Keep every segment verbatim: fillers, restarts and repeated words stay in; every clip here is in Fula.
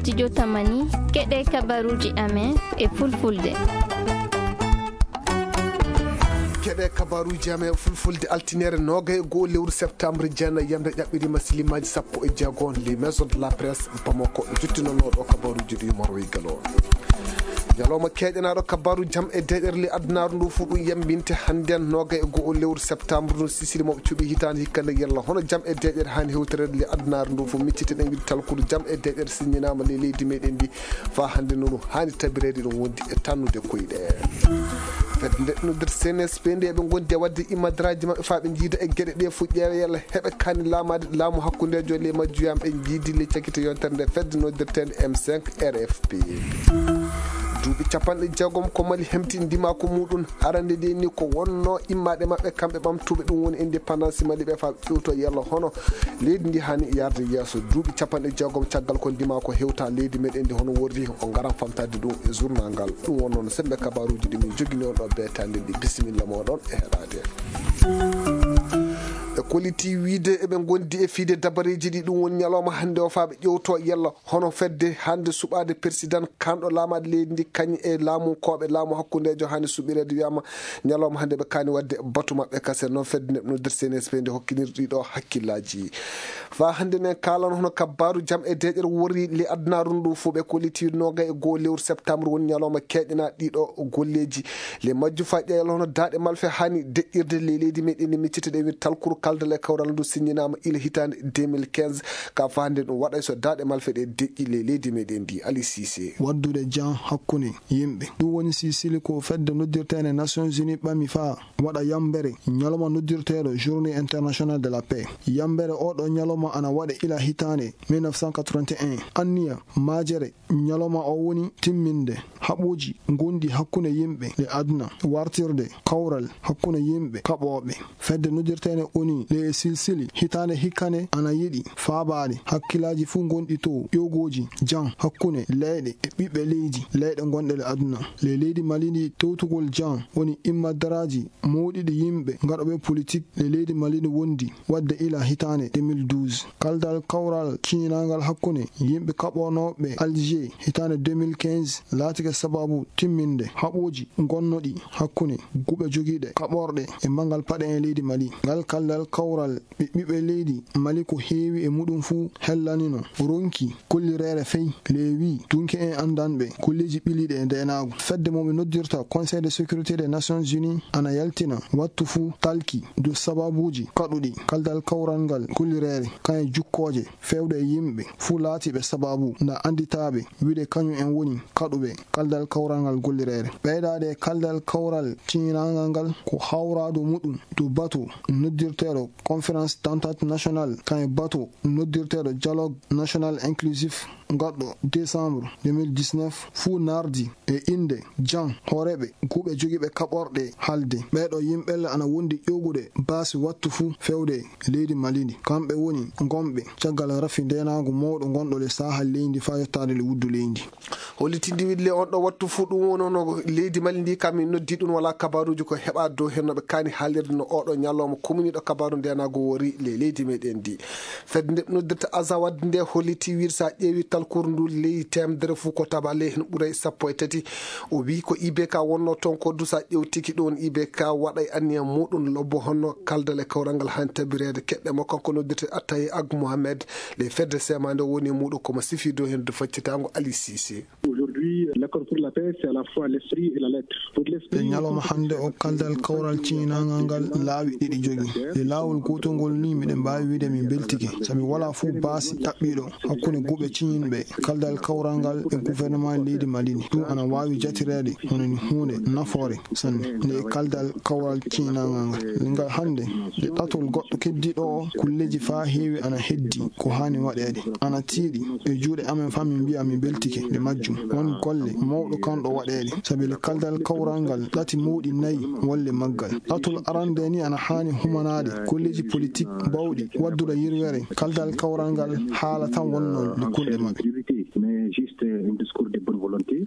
Studio Tamani, keɗe kabaruuji amen e fulfulde. Keɗe kabaruuji amen e fulfulde, altinere noogay e go'o lewru septembre, jeenayi yamre ƴaɓɓiriima silimaaji sappo e jeego. Les Maisons de la Presse Bamako, jottinonooɗo kabaruuji ɗi Umar Wey Galo. Ñalawma keeƴanaaɗo kabaaru jam e deeƴere ley adunaaru ndu fuu, ɗum yambinte hannden noogay e go'o lewru septembre ndu. Sisili mo ɓe cuɓi hitaande hikka nde, yalla hono jam e deeƴere haani hewtoreede ley adunaaru ndu fuu? Miccite ɗen wiide talkuru jam e deeƴere siññinaama ley leydi meɗen ndi. Faa hannde no ɗum haani tabireede, ɗum wondi e tannude koyɗe. Fedde nde noddirta C N S P nde, eɓe ngondi e waɗde immadaraaji maɓɓe faa ɓe njiida e geɗe ɗe fuu, ƴeewa yalla heɓe kaani laamaade laamu hakkundeejo ley majjuyam. Ɓe njiidi ley cakite yontere nde fedde noddirteende M cinq R F P. Duuɓi capanɗe jeegom ko Mali hemti ndimaaku muuɗum. Arande nde ni ko wonno immaade maɓɓe kamɓe ɓamtuɓe, ɗum woni indépendance Mali ɓe, faa ƴewto yalla hono leydi ndi haani yaade yeeso. Duuɓi capanɗe jeegom caggal ko ndimaaku hewta leydi meɗen ndi hono worri, o ngaran famtaade ɗum e journal ngal. Ɗum wonno no semmbe kabaaruuji ɗi min jogini on ɗo beetaande ndi. Bisimilla mooɗon e heɗaade. Ɓe kolliti wiide eɓe ngondi e fiide dabareeji ɗi, ɗum woni ñalawma hannde o faa ɓe ƴewto yalla hono fedde hannde suɓaade persidan kanɗo laamaade leydi ndi, kañum e laamunkooɓe laamu hakkundeejo haani suɓireede. Wiyaama ñalawma hannde ɓe kaani waɗde batu maɓɓe kase. Noon fedde nde noddirta C N S P nde hokkiniri ɗiɗo hakkillaaji. Faa hannde nen kaalan hono kabaaru jam e deeƴere worri ley adunaaru ndu fuu. Ɓe kolliti noogay e go'o lewru septembre woni ñalawma keeƴanaa ɗiɗo golleeji. Ley majju faa ƴeewal hono daaɗe malfe haani deƴƴirde ley leydi meɗen ndi. Miccite ɗe wiide talkuru kaldal e kawral ndu siññinaama ila hitaande deux mille quinze. Ka faa hannde ɗum waɗay so daaɗe malfe ɗe deƴƴi ley leydi meɗen ndi. Ali Cissé. Waddude jam hakkunde yimɓe. Ɗum woni sisili ko fedde noddirteende Nations Unies ɓami faa waɗa yambere ñalawma noddirteeɗo Journée Internationale de la Paix. Yambere oo ɗoo ñalawma ana waɗe ila hitaande mille neuf cent quatre-vingt-un. Anniya majjere ñalawma oo woni timminde haɓooji gonɗi hakkunde yimɓe e aduna, wartirde kawral hakkunde yimɓe kaɓooɓe. Fedde noddirteende O N U ley silsili hitaande hikka nde ana yiɗi faabaade hakkillaaji fuu gonɗi to ƴoogooji jam hakkunde leyɗe e ɓiɓɓe leydi, leyɗe gonɗe e aduna. Ley leydi Mali ndi, towtugol jam woni immadaraaji mawɗiɗi yimɓe gaɗooɓe politik ley leydi Mali ndi wondi waɗde ila hitaande deux mille douze. Kaldal kawral ciñinangal hakkunde yimɓe kaɓonooɓe Alger hitaande deux mille quinze laatike sababu timminde haɓooji gonnoɗi hakkunde guɓe jogiiɗe kaɓorɗe e manngal paɗe e leydi Mali. Ngal kaldal kawral ɓe ɓiɓɓe leydi Mali ko heewi e muɗum fuu hellanino ronki kollireere fey ley wii dunke en anndanɓe golleeji ɓiliiɗi e ndeenaagu. Fedde mo ɓe noddirta Conseil de sécurité des Nations Unies ana yaltina wattu fuu talki dow sababuuji kaɗuɗi kaldal kawral ngal gollireere, kañe jukkooje feewde e yimɓe fuu laatiiɓe sababu nda annditaaɓe wiide kañum en woni kaɗuɓe kaldal kawral ngal gollireere. Ɓeydaade e kaldal kawral ciñinangal ngal ko hawraadu muɗum dow bato noddirteeɗo Conférence d'entente nationale, kañum bato noddirteeɗo Dialogue national inclusif, gaɗɗo décembre deux mille dix-neuf, fuu nardi e innde jam hooreeɓe guɓe jogiiɓe kaɓorɗe haalde. Ɓeeɗo yimɓe ana wondi ƴogude baasi wattu fuu feewde leydi Mali ndi. Kamɓe woni gonɓe caggal rafi ndeenaagu mawɗo gonɗo le Sahel leydi faa yottaade le wuddu leydi. Hollitinde wiɗle on ɗo wattu fuu, ɗum woni no leydi Mali ndi, kam min noddi ɗum, wala kabaruuji ko heɓa dow hen no ɓe kaani haalirde no oo ɗo ñalawma. Kominiiɗo kabaaru ndeenaagu wori le leydi meɗen ndi. Fedde nde noddirta Azawad nde holliti wiide so a ƴeewi talkuru ndu ley teemedere fuu ko taba ley hen ɓuray sappo e tati. O wii ko I B K wonno toon ko du, so a ƴeewtiki ɗum, I B K waɗay anniya muɗum lobbo honno kaldal e kawral ngal haani tabireede. Keɗɗe mo kanko noddirte Attaye Ag Mohamed. Le fedde semaande woni e muuɗum ko mo sifi dow heen faccitaango Ali Cissé. Aujourd'hui, l'accord pour la paix, c'est à la fois l'esprit et la lettre. Pour l'esprit, e ñalawma hannde o, kaldal kawral ciñinangal ngal laawi ɗiɗi jogi. E laawol gootol ngol ni, miɗen mbaawi wiide min mbeltike, sabi walaa fof baasi ɗaɓɓiiɗo hakkunde guɓe ciñinɓe kaldal kawral ngal e gouvernement leydi Mali ndi. Ɗum ana waawi jatireede hono ni huunde nafoore sanne. Nde e kaldal kawral ciñinangal ngal, ngal hannde nde ɗatol goɗɗo keddiiɗo o, kulleeji faa heewi ana heddi ko haani waɗeede, ana tiiɗi e juuɗe amen faa min mbiya min mbeltike nde majjum. Won golle mawɗo kanɗo waɗeede, sabi le kaldal kawral ngal ɗati mawɗi nayi wonle maggal. Ɗatol arande ni ana haani humanaade golleeji politik bawɗi waddude yirwere kaldal kawral ngal, haala tan wonno le kunɗe maɓɓe. Mais juste un discours de bonne volonté.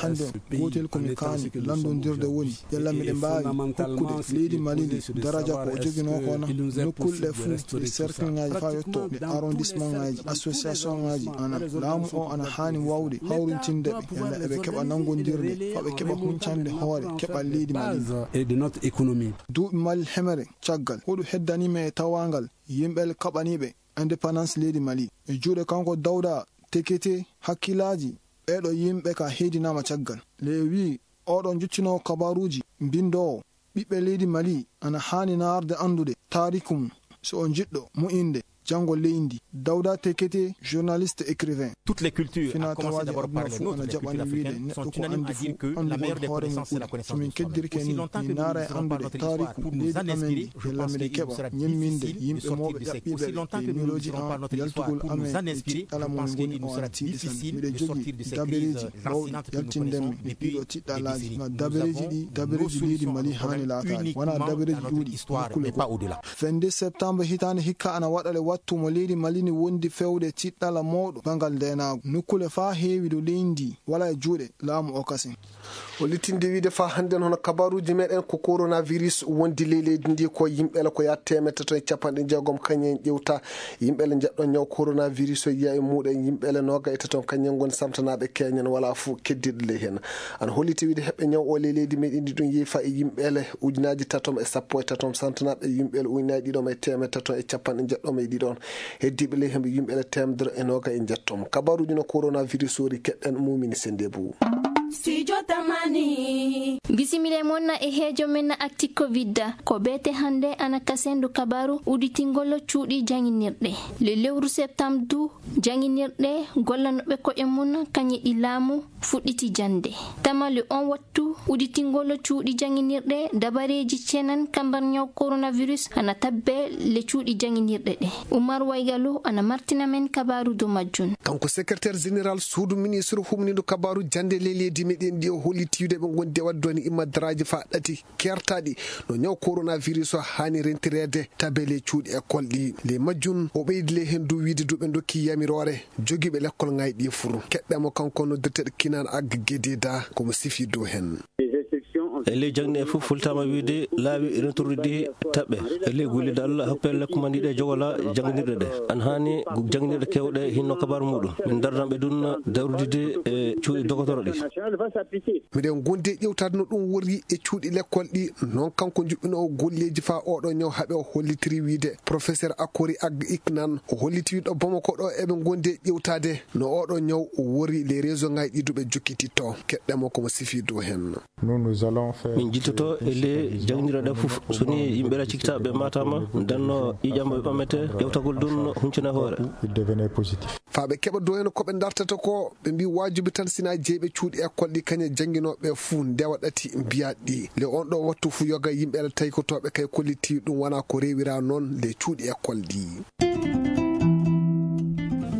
Hannde gootel ko mi kaani lanndondirde woni, yalla miɗen mbaawi hokkude leydi Mali ndi daraja ko o joginoo ko na nokkuule ɗe fuu, ɗe cercle ŋaaji faa yotto ɗe arrondissement ŋaaji, association ŋaaji, ana laamu o ana haani waawde hawrintinde ɓe, yalla eɓe keɓa nanngondirde faa ɓe keɓa huncande hoore keɓal leydi Mali ndi. Duuɓi Mali hemere caggal, hoɗu heddanii men e tawaangal yimɓe kaɓaniiɓe indépendance leydi Mali? E juuɗe kanko Dawda Tekete, hakkillaaji ɓeeɗo yimɓe ka heddinaama caggal. Le wi'i, oɗo jottinoowo kabaaruuji, binndoowo, ɓiɓɓe leydi Mali ana haani naarde anndude taariku mum, so o jiɗɗo moƴƴinde janngo leydi ndi. Dawda Tekete, journaliste, écrivain. Toutes les cultures, fina tawaaji aduna fuu ana jaɓani wiide neɗɗo ko anndi fuu anndu woni hoore mum ɓuri. So min keddirke ni, min naara e anndude taariku leydi amen ndi, yalla miɗen keɓa ñemminde yimɓe mooɓe ƴaɓɓiiɓe ɓe e miilooji an yaltugol amen e tiɗɗala mo min ngoni o ana tiiɗi sanne. Miɗen jogii dabareeji ɓawɗi yaltinde men e ɗiɗo tiɗɗalaaji. Dabareeji ɗi, dabareeji leydi Mali haani laataade, wonaa dabareeji ɗuuɗi nokkuule goo. Fende septembre hitaande hikka ana waɗa le wattu mo leydi Mali ni wondi fewde tiɗɗala mawɗo banngal ndeenaagu. Nokkuule faa heewi dow leydi ndi wala e juuɗe laamu o kasen. O littinde wiide faa hannden hono kabaaruuji meɗen ko coronavirus wondi ley leydi ndi ko yimɓe le ko yaa teemedde tati e capanɗe jeegom kañum en ƴewta. Yimɓe le njeɗɗon ñaw coronavirus o yiya e muɗen yimɓe le nooga e tati on kañum en ngoni samtanaaɓe keñen wala fuu keddiiɗo ley heen. Ana holliti wiide heɓɓe ñaw o ley leydi meɗen ndi ɗum yeefa e yimɓe le ujunaaji tatom e sappo e tatom samtanaaɓe yimɓe le ujunaaji ɗiɗom e teemedde tatom e capanɗe jeɗɗom e ɗiɗon. Heddiiɓe ley hemɓe yimɓe le teemedere e nooga e njettom. Kabaaruuji no coronavirus ori keɗɗen Mumini Sendebu. Studio Tamani. Bisimila mon e heejo men Actu Covid. Ko beete hannde ana kasendu kabaaru udditingol cuuɗi jannginirɗe. Le lewru septembre du jannginirɗe gollanooɓe ko'e mum kañe ɗi laamu fuɗɗiti jannde. Tamale on wattu udditingol cuuɗi jannginirɗe dabareeji cenan kambar ñaw coronavirus ana tabbe le cuuɗi jannginirɗe ɗe. Umar Waygalu ana martina men kabaaru dow majjum. Kanko secrétaire général suudu ministre humnindo kabaaru jannde ley leydi meɗen ndi o holliti wiide ɓe ngondi e waɗde woni immadaraaji faa ɗati kertaaɗi no ñaw coronavirus o haani rentireede tabele cuuɗi école ɗi. Ley majjum o ɓeydi ley heen du wiide du ɓe ndokki yamiroore jogiiɓe lekkol ŋaaji ɗi fur. Keɗɗen mo kanko noddirteeɗo Kinan Ag Gededa ko mo sifi dow heen. E ley jaŋde e fof fultaama wiide laawi rentorɗi taɓɓe. E ley gollirde Allah hakkunde lekkumanɗi ɗe jogola jannginirɗe ɗe. Ana haani jannginirɗe keewɗe hinno kabaru muɗum. Min dardanɓe ɗum dawrudide e cuuɗi dogotoro ɗi. Miɗen ngondi e ƴewtaade no ɗum worri e cuuɗi lekkol ɗi. Noon kanko juɓɓinoowo golleeji faa oɗo ñaw haɓe o hollitiri wiide professeur Akori Ag Iknan o holliti wiide ɗo Bamako ɗo eɓe ngondi e ƴewtaade no oɗo ñaw o worri les région ŋaaji ɗi duɓe jokkititto. Keɗɗen mo ko mo sifi dow heen. Nous, nous allons faire Min jiltoto e le jannginirɗe ɗe fof. So ni yimɓe ɗa cikkita ɓe matama, ndenno ƴiƴam ɓe ɓamete, ƴewtagol ɗum huncina hoore. Il devenait positif. Faa ɓe keɓa dow heen ko ɓe dartata ko, ɓe mbi waajibi tan sina jeyɓe cuuɗi école ɗi kañe jannginooɓe fuu ndewa ɗati mbiyaɗ ɗi. Le on ɗo wattu fuu yoga yimɓe ɗa taykotooɓe kay kolliti ɗum wona ko rewira noon le cuuɗi école ɗi.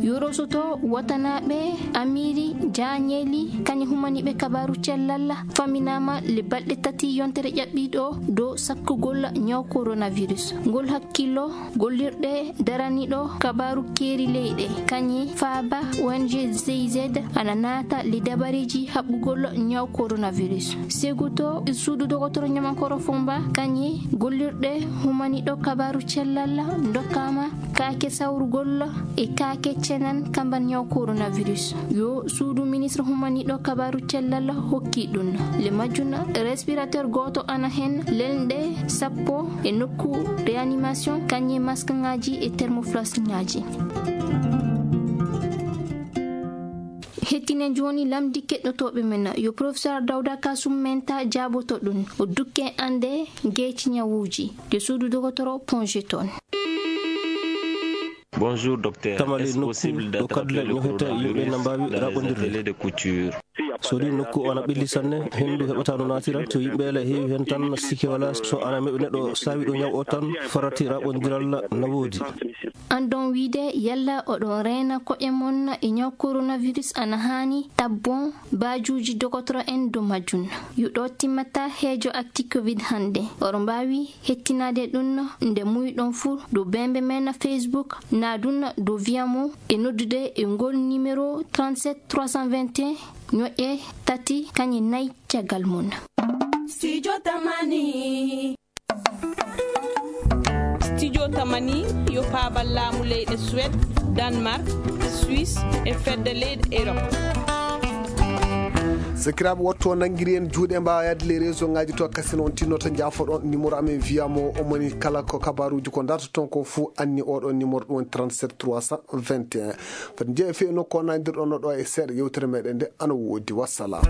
Yorosoto watanaaɓe Amiri Jaañeeli kañe humaniiɓe kabaaru cellal faminaama le balɗe tati yontere ƴaɓɓiiɗo dow sakkugol ñaw coronavirus. Ngol hakkillo gollirɗe daraniiɗo kabaaru keeri leyɗe kañe faaba O N G G I Z ana naata le dabareeji haɓɓugol ñaw coronavirus. Seguto suudu dogotoro ñamankoro Fomba kañe gollirɗe humaniiɗo kabaaru cellal ndokkaama kaake sawrugol e kaake cenan kamban ñaw coronavirus. Yo suudu ministre humaniiɗo kabaaru cellal hokki ɗum. Le majjum respirateur gooto ana heen, lelnɗe sappo e nokku réanimation, kañe masque ŋaaji e thermoflask ŋaaji. Hettinen jooni lamndi keɗɗotooɓe men. Yo professeur Dawda Kasum Menta jaaboto ɗum. O dukke annde geeci ñawuuji. De suudu dogotoro Ponge toon. Bonjour, docteur. Tamale nokku ɗo kaddule ñohete yimɓe na mbaawi raɓɓondirde. So ɗi nokku o ana ɓelli sanne, henndu heɓata no naatira. So yimɓe ele heewi heen tan, sikke wala. So ana meɓe neɗɗo saawi ɗo ñaw o tan, farati raɓɓondiral na woodi. Anndon wiide yalla oɗon reena ko'e mon e ñaw coronavirus ana haani tabbon baajuuji dogotoro en dow majjum. Yo ɗo timmata heejo Actu Covid hannde. Oɗon mbaawi hettinaade ɗum nde muuyɗon fuu dow bembe men Facebook, naa ɗum dow Vimo e noddude e ngol numéro trente-sept trois cent vingt et un Ñoƴƴe tati kañe nayi caggal mum. Studio Tamani. Studio Tamani yo paabal laamu leyɗe Suède, Danemark, Suisse e fedde leyɗe Europe. Sakiraaɓe, wotto nanngiri en juuɗe, mbaawa yahde les réseau ngaji to, kasen on tinnoto, njaafoɗon numéro amen, wiya mo omoni kala ko kabaruuji ko dartoton ko fuu anni oɗo numéro, ɗum woni trente-sept trois cent vingt et un. Fati njeeya fii no ko nandirɗon no ɗo e seeɗa yewtere meɗen nde, ana woodi. Wassalam.